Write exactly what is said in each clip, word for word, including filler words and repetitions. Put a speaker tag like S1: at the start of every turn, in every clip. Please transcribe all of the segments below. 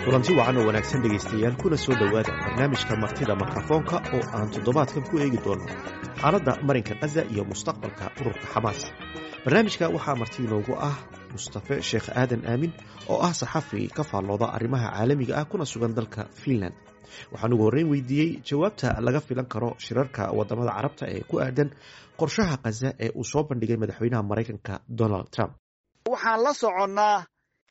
S1: Kulanti wacan oo wanaagsan, dhegaystayaal, kuna soo dhowaada barnaamijka Martida Mikrofoonka oo aan toddobaadkan ku eegi doono xaaladda marinka Qaza iyo mustaqbalka ururka Xamaas. Barnaamijka waxaa marti inoogu ah Mustafe Sheekh Aadan Aamin oo ah saxafi ka faallooda arrimaha caalamiga ah, kuna sugan dalka Finland. Waxaan ugu horreyn weydiiyey jawaabta laga filan karo shirarka wadamada Carabta ee ku aadan qorshaha Qaza ee uu soo bandhigay madaxweynaha Maraykanka Donald Trump.
S2: Waxaan la soconnaa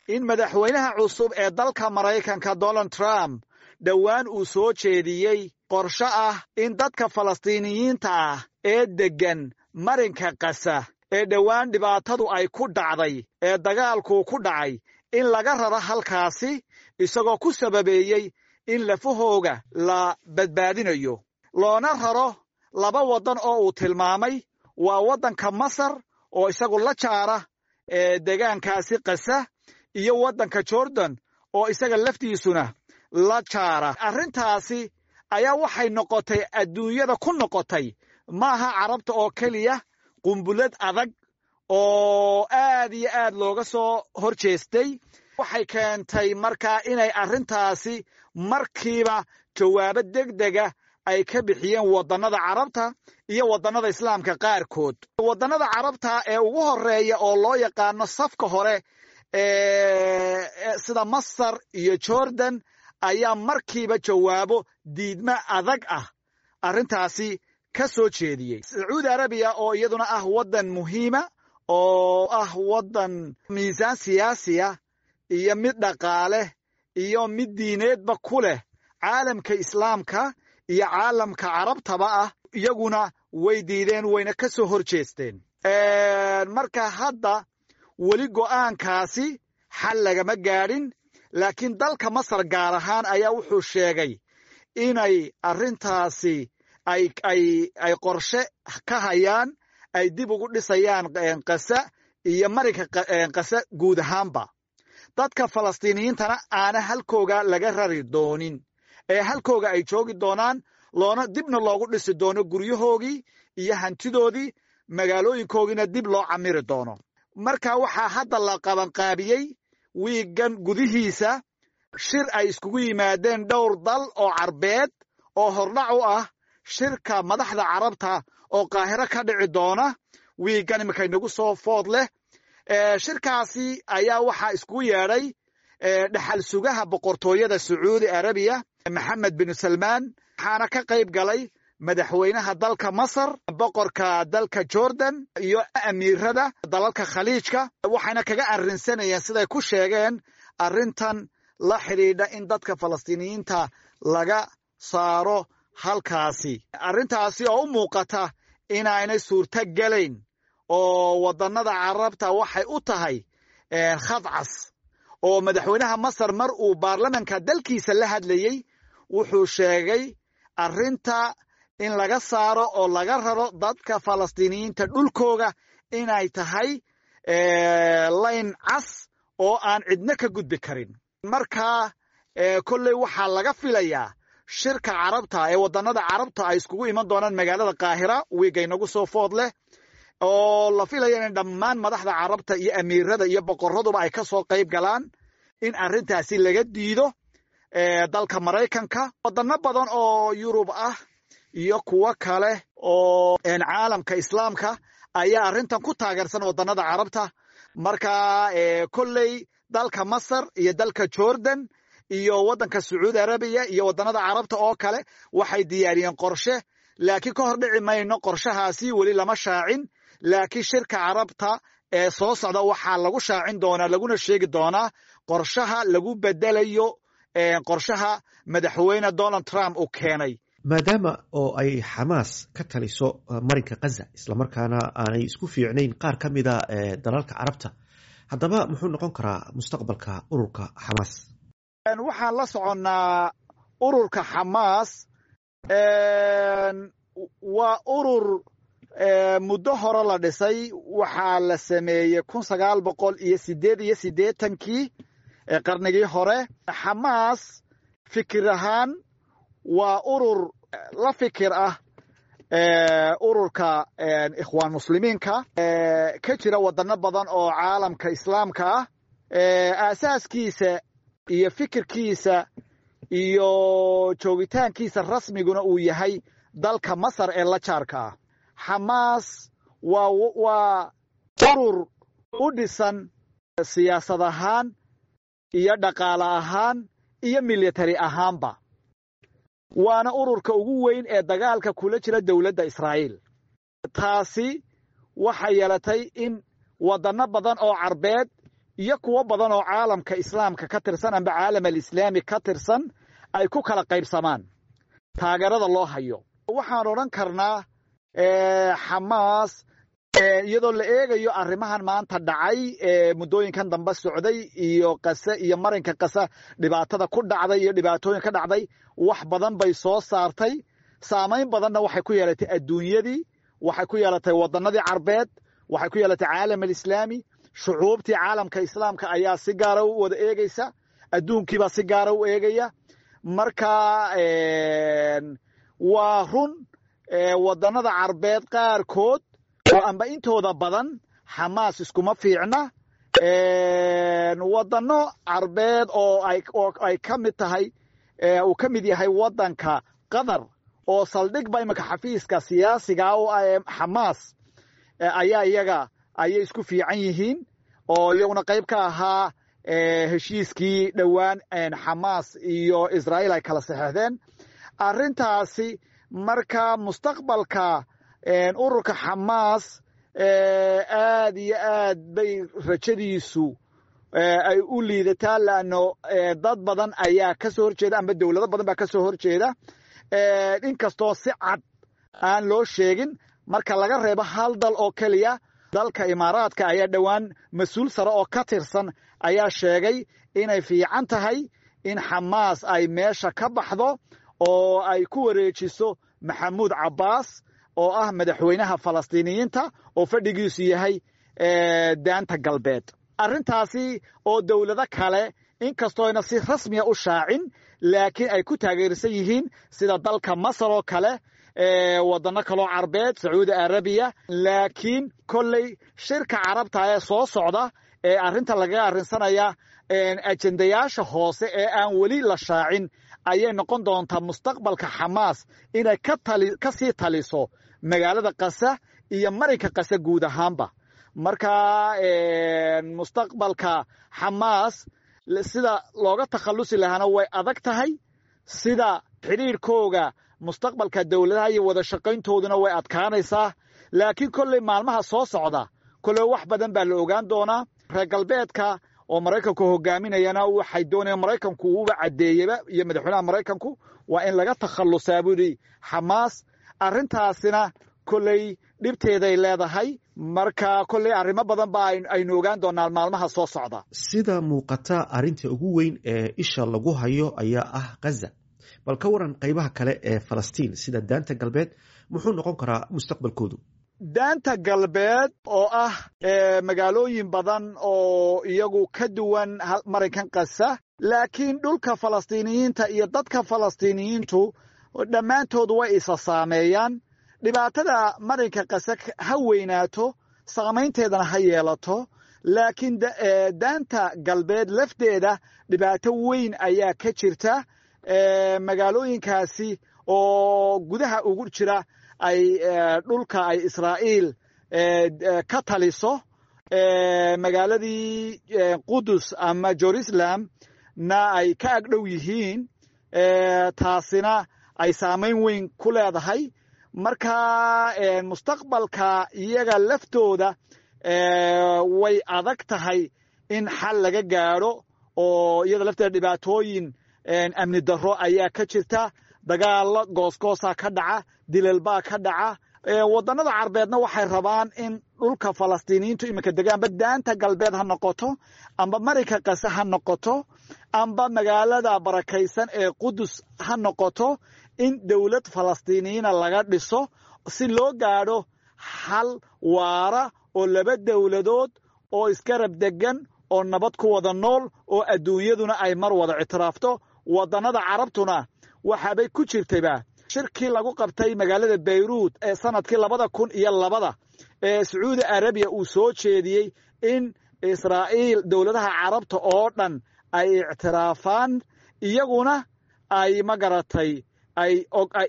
S2: in madaxweynaha cusub ee dalka Maraykanka Donald Trump dhowaan uu soo jeediyey qorshe ah in dadka Falastiiniyiinta ah ee deggan marinka Qasa ee dhowaan dhibaatadu ay ku dhacday ee dagaalkuu ku dhacay in laga raro halkaasi, isagoo ku sababeeyey in lafahooga la badbaadinayo, loona raro laba waddan oo uu tilmaamay: waa waddanka Masar oo isagu la jaara ee degaankaasi Qasa iyo waddanka Jordan oo isaga laftiisuna la jaara. Arrintaasi ayaa waxay noqotay, adduunyada ku noqotay, maaha Carabta oo keliya, qumbulad adag oo aad iyo aad looga soo hor jeestay. Waxay keentay markaa inay arrintaasi markiiba jawaabo degdega ay ka bixiyeen waddannada Carabta iyo waddannada Islaamka qaarkood. Waddannada Carabta ee ugu horeeya oo loo yaqaano safka hore, sida Masar iyo Jordan, ayaa markiiba jawaabo diidmo adag ah arrintaasi ka soo jeediyey. Sacuudi Arabiya oo iyaduna ah waddan muhiima oo ah waddan miisaan siyaasiya iyo mid dhaqaale iyo mid diineedba ku leh caalamka Islaamka iyo caalamka Carabtaba ah, iyaguna way diideen, wayna ka soo hor jeesteen. Marka hadda weli go'aankaasi xal lagama gaadhin, laakiin dalka Masar gaar ahaan ayaa wuxuu sheegay inay arrintaasi ay ay ay qorshe ka hayaan ay dib ugu dhisayaan Qasa iyo marinka Qasa guud ahaanba, dadka Falastiiniyiintana aana halkooga laga rari doonin ee halkooga ay joogi doonaan, loona dibna loogu dhisi doono guryahoogii iyo hantidoodii, magaalooyinkoogiina dib loo camiri doono. Marka waxaa hadda la qabanqaabiyey wiiggan gudihiisa shir ay iskugu yimaadeen dhowr dal oo Carbeed oo hordhac u ah shirka madaxda Carabta oo Qaahiro ka dhici doona wiiggan iminka inagu soo food leh. Shirkaasi ayaa waxaa iskugu yeedhay dhexal sugaha boqortooyada Sacuudi Arabiya, Maxamed bin Salmaan, waxaana ka qayb galay madaxweynaha dalka Masar, boqorka dalka Jordan iyo amiirada dalalka Khaliijka. Waxayna kaga arrinsanayeen, siday ku sheegeen, arrintan la xidhiidha in dadka Falastiiniyiinta laga saaro halkaasi, arrintaasi oo u muuqata inaanay suurto gelayn oo waddannada Carabta waxay u tahay khad cas. Oo madaxweynaha Masar mar uu baarlamanka dalkiisa la hadlayey wuxuu sheegay arrinta in laga saaro oo laga raro dadka Falastiiniyiinta dhulkooga inay tahay layn cas oo aan cidna ka gudbi karin. Marka kolley waxaa laga filayaa shirka Carabta ee waddannada Carabta ay iskugu iman doonaan magaalada Qaahira wiigga inagu soo food leh, oo la filaya in dhammaan madaxda Carabta iyo amiirada iyo boqoraduba ay ka soo qayb galaan, in arrintaasi laga diido dalka Maraykanka. Waddanno badan oo Yurub ah iyo kuwo kale oo caalamka Islaamka ayaa arrintan ku taageersan waddannada Carabta. Marka kolley dalka Masar iyo dalka Jordan iyo waddanka Sacuudi Arabiya iyo waddannada Carabta oo kale waxay diyaariyeen qorshe, laakiin ka hor dhici mayno, qorshahaasi weli lama shaacin. Laakiin shirka Carabta ee soo socda waxaa lagu shaacin doonaa, laguna sheegi doonaa qorshaha lagu bedelayo qorshaha madaxweyne Donald Trump uu keenay.
S1: Maadaama oo ay Xamaas ka taliso marinka Kaza, islamarkaana aanay isku fiicnayn qaar ka mida dalalka Carabta, haddaba muxuu noqon karaa mustaqbalka ururka Xamaas?
S2: Waxaan la soconnaa ururka Xamaas waa urur muddo hore la dhisay. Waxaa la sameeyey kun sagaal boqol iyo sideed iyo siddeetankii qarnigii hore. Xamaas fikir ahaan waa urur la fikir ah ururka Ikhwaan Muslimiinka ka jira wadano badan oo caalamka Islaamka ah. Aasaaskiisa Iyo fikirkiisa iyo joogitaankiisa rasmiguna uu yahay dalka Masar ee la jaarka ah. Xamaas waa waa urur u dhisan siyaasad ahaan iyo dhaqaale ahaan iyo military ahaanba, waana ururka ugu weyn ee dagaalka kula jira dowladda Israa'iil. Taasi waxay yeelatay in waddanno badan oo Carbeed iyo kuwo badan oo caalamka Islaamka ka tirsan amba caalam alislaami ka tirsan ay ku kala qaybsamaan taageerada loo hayo. Waxaan odhan karnaa Xamaas, iyadoo la eegayo arrimahan maanta dhacay ee muddooyinkan dambe socday iyo Qase iyo marinka Qasa dhibaatada ku dhacday iyo dhibaatooyin ka dhacday, wax badan bay soo saartay. Saamayn badanna waxay ku yeelatay adduunyadii, waxay ku yeelatay waddannadii Carbeed, waxay ku yeelatay caalam alislaami. Shucuubtii caalamka Islaamka ayaa si gaara u wada eegaysa, adduunkiibaa si gaara u eegaya. Marka waa run, waddannada Carbeed qaarkood oo amba intooda badan Xamaas iskuma fiicna. Waddanno Carbeed oo ay oo ay ka mid tahay, uu ka mid yahay waddanka Qatar oo saldhigba iminka xafiiska siyaasiga oo Xamaas ayaa iyaga ayay isku fiican yihiin, oo iyaguna qayb ka ahaa heshiiskii dhowaan Xamaas iyo Israa'iil ay kala saxeexdeen arrintaasi. Marka mustaqbalka ururka Xamaas aad iyo aad bay rajadiisu ay u liidataa, laanno dad badan ayaa ka soo horjeeda amba dowlado badan baa ka soo horjeeda, inkastoo si cad aan loo sheegin, marka laga reebo hal dal oo keliya. Dalka Imaaraadka ayaa dhowaan mas-uul sare oo ka tirsan ayaa sheegay inay fiican tahay in Xamaas ay meesha ka baxdo oo ay ku wareejiso Maxamuud Cabbaas oo ah madaxweynaha Falastiiniyiinta oo fadhigiisu yahay Daanta Galbeed. Arrintaasi oo dowlado kale, inkastooyna si rasmiya u shaacin, laakiin ay ku taageersan yihiin, sida dalka Masar oo kale, waddanno kaloo Carbeed, Sacuudi Arabiya. Laakiin kolley shirka Carabta ee soo socda ee arrinta lagaga arrinsanaya, ajendayaasha hoose ee aan weli la shaacin ayay noqon doontaa mustaqbalka Xamaas inay ka tali ka sii taliso magaalada Qasa iyo marinka Qasa guud ahaanba. Marka mustaqbalka Xamaas sida looga takhallusi lahaana way adag tahay, sida xidhiirkooga mustaqbalka dowladaha iyo wada shaqayntooduna way adkaanaysaa. Laakiin kolley maalmaha soo socda kolley wax badan baa la ogaan doonaa. Reer galbeedka oo Maraykanku hogaaminayana waxay doonayaan, Maraykanku uuba caddeeyeyba iyo madaxweynaha Maraykanku, waa in laga takhallusaa buu yidhi Xamaas. Arrintaasina kolley dhibteeday leedahay. Marka kolley arrimo badan baa aynu ogaan doonaa maalmaha soo socda.
S1: Sida muuqata, arrinta ugu weyn ee isha lagu hayo ayaa ah Ghaza. Bal ka waran qaybaha kale ee Falastiin sida Daanta Galbeed? Muxuu noqon karaa mustaqbalkoodu?
S2: Daanta Galbeed oo ah magaalooyin badan oo iyagu ka duwan marinkan Qasa, laakiin dhulka Falastiiniyiinta iyo dadka Falastiiniyiintu dhammaantood way isa saameeyaan. Dhibaatada marinka Qasa ha weynaato, saamaynteedana ha yeelato, laakiin Daanta Galbeed lafteeda dhibaato weyn ayaa ka jirta. Magaalooyinkaasi oo gudaha ugu jira ay dhulka ay Israa'iil ka taliso, magaaladii Qudus ama Jerusalem na ay ka agdhow yihiin, taasina ay saamayn weyn ku leedahay. Marka mustaqbalka iyaga laftooda way adag tahay in xal laga gaadho, oo iyada lafteeda dhibaatooyin amni darro ayaa ka jirta, dagaallo goosgoosaa ka dhaca, dilalbaa ka dhaca. Waddannada Carbeedna waxay rabaan in dhulka Falastiiniyiintu iminka degaanba, Daanta Galbeed ha noqoto amba marinka Qase ha noqoto amba magaalada barakaysan ee Qudus ha noqoto, in dowlad Falastiiniyiina laga dhiso si loo gaadho xal waara oo laba dowladood oo isgarab degan oo nabad ku wada nool oo adduunyaduna ay mar wada ictiraafto. Waddannada Carabtuna waxaabay ku jirtayba shirkii lagu qabtay magaalada Bayruut ee sanadkii labada kun iyo labada ee Sacuudi Arabiya uu soo jeediyey in Israa'iil dowladaha Carabta oo dhan ay ictiraafaan, iyaguna ay magaratay ay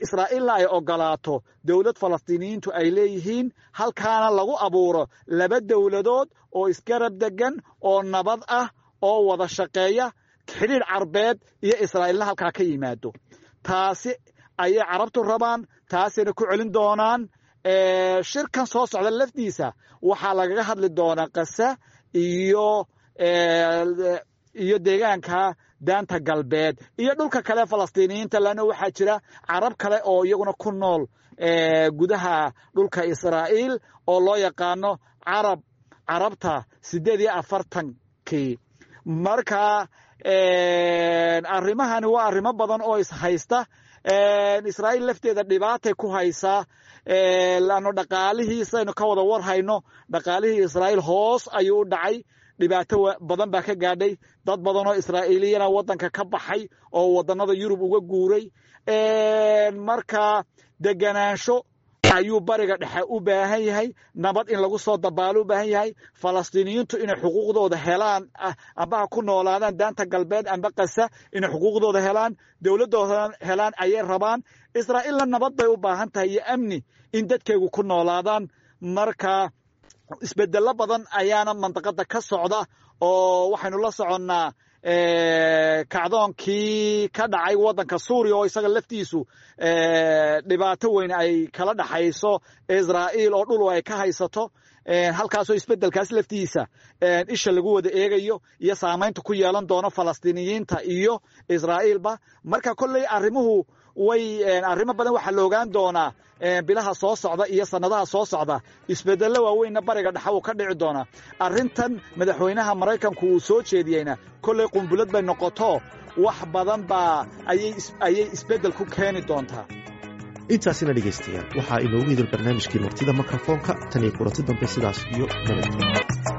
S2: Israa'iilna ay ogolaato dowlad Falastiiniyiintu ay leeyihiin, halkaana lagu abuuro laba dowladood oo isgarab degan oo nabad ah oo wada shaqeeya, xidhiidh Carbeed iyo Israa'iilna halkaa ka yimaado. Taasi ayay Carabtu rabaan, taasayna ku celin doonaan. Shirkan soo socda lafdiisa waxaa lagaga hadli doonaa Qasa iyo iyo deegaanka Daanta Galbeed iyo dhulka kale Falastiiniyiinta, leanna waxaa jira Carab kale oo iyaguna ku nool gudaha dhulka Israa'iil oo loo yaqaano Carab Carabta siddeed iyo afartankii. Marka arrimahani waa arrimo badan oo ishaysta. Israa'iil lafteeda dhibaatay ku haysaa, laanno dhaqaalihiisaynu ka wada war hayno, dhaqaalihii Israa'iil hoos ayuu u dhacay, dhibaato badan baa ka gaadhay, dad badan oo Israa'iiliyana waddanka ka baxay oo waddannada Yurub uga guuray. Marka deganaansho ayuu Bariga Dhexe u baahan yahay, nabad in lagu soo dabaalo u baahan yahay, Falastiiniyiintu inay xuquuqdooda helaan, amba ha ku noolaadaan Daanta Galbeed amba Qasa, inay xuquuqdooda helaan, dowladdooda helaan ayay rabaan. Israa'iilna nabad bay u baahan tahay iyo amni in dadkeegu ku noolaadaan. Marka isbedello badan ayaana mandaqada ka socda, oo waxaynu la soconnaa kacdoonkii ka dhacay waddanka Suuriya oo isaga laftiisu dhibaato weyn ay kala dhaxayso Israa'iil oo dhul ay ka haysato, halkaasoo isbedelkaas laftiisa isha lagu wada eegayo iyo saamaynta ku yeelan doono Falastiiniyiinta iyo Israa'iilba. Marka kolley arrimuhu way arrimo badan waxaa la ogaan doonaa bilaha soo socda iyo sannadaha soo socda. Isbedello waaweynna Bariga Dhexe uu ka dhici doonaa. Arrintan madaxweynaha Maraykanku uu soo jeediyeyna kolley qumbulad bay noqoto, wax badan baa ayay ayay isbeddel ku keeni doontaa.
S1: Intaasina dhegaystayaal waxaa inoogu idil barnaamijkii martida mikrofoonka. Tan iyo kulanti dambe, sidaas iyo nabadgelyo.